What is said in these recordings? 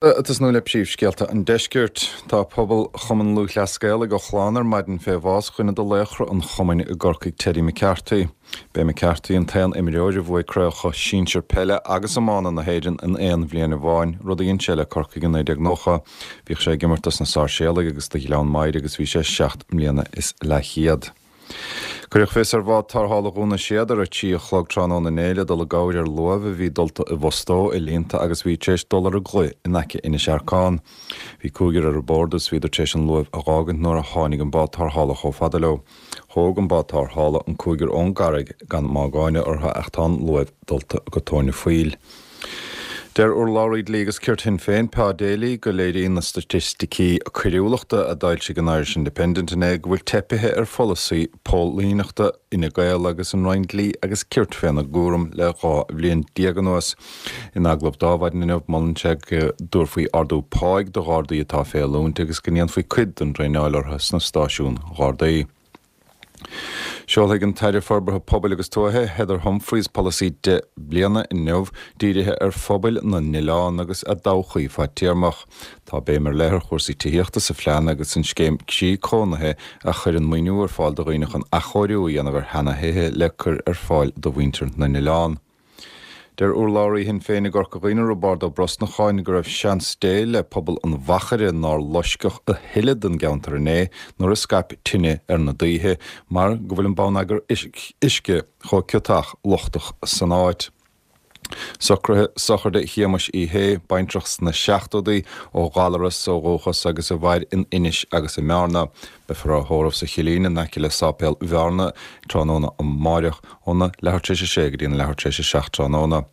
Ag tosnú le príomhscéalta an deiscirt. Tá pobal Chumann Lúthchleas Gael ag ochlán ar maidin fé bhás dhuine de laochra an chumainn i gCorcaigh Teddy McCarthy. B'é McCarthy an t-aon imreoir a bhuaigh craobhacha sinsir peile agus iomána na hÉireann in aon bhliain amháin, rud a dhein sé le Corcaigh i 1990. Bhíodh sé ag imirt dos na Sáirséalaigh agus do Ghleann Maghair agus bhí sé seacht mbliana is leathchéad. Cuireadh fios ar bhád tarrthála Dhún na Séad ar a 3 a chlog tráthnóna inné le dul i gcabhair ar luamh a bhí dulta i bhfostó i líonta agus a bhí tar éis dul ar an gclaí in aice Inis Earcáin. Bhí cúigear ar bord agus bhíodar tar éis an luamh a dh'fhágaint nuair a tháinig an bád tarrthála chomh fada leo. Thóg an bád tarrthála an cúigear ón gcarraig gan mágáine orthu ach tá an luamh dulta go tóin an phoill. Deir urlabhraí Dlí agus Cirt Shinn Féin, Pa Daly, go léiríonn na staitisticí coiriúlachta a d'fhoilsigh an Irish Independent inné go bhfuil teipithe ar pholasaí póilíneachta Fhine Gael agus an Roinn Dlí agus Cirt féna gcúram le 12 bhliain anuas. In agallamh dó ar maidin inniu, molann sé go dtabharfaí ardú páigh do Ghardaí atá fé oiliúint agus go ndéanfaí cuid den traenáil orthu sna stáisiúin Ghardaí. Seolfaidh an tAire Forbartha Pobail agus Tuaithe, Heather Humphreys, polasaí 10 bliana inniu dírithe ar phobail na n-oileán agus a dtodhchaí fadtéarmach. Tá béim ar leith ar chúrsaí tithíochta sa phlean agus an scéim Croí Cónaithe a chuireann maoiniú ar fáil do dhaoine chun athchóiriú a dhéanamh ar sheana-thithe le cur ar fáil do mhuintir na n-oileán. Deir urlabhraí Shinn Féin i gCorca Dhuibhne, Roibeárd Ó Brosnacháin, go raibh seans Dé le pobal an Mhachaire nár loisceadh a thuilleadh den gceantar inné nuair a scaip tine ar na daoithe mar go bhfuil an bonneagar uisce chomh ciotach lochtach san áit. Socruithe sochraide Shéamais Uí Shé, baintreach sna seachtóidí, ó Ghallaras ó dhúchas agus a mhair in Inis agus i mBearna. Beifear á thórramh sa Chillín in aice le Sáipéal Bhearna tráthnóna amáireach óna leathuair tar éis a sé go dtí an leathuair tar éis a 7 tráthnóna,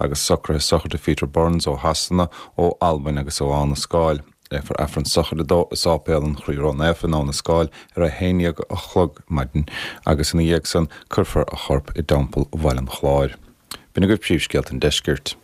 agus socruithe sochraide Pheter Burns ó Shasana, ó Albain agus ó Abha na Scáil. Léifear Aifreann sochraide dó i Sáipéal an Chroí Ró-Naofa in Abha na Scáil ar a 11 a chlog maidin agus ina dhiaidh san cuirfear a chorp i dTeampall Bhaile an Chláir. B'in agaibh príomhscéalta an deiscirt.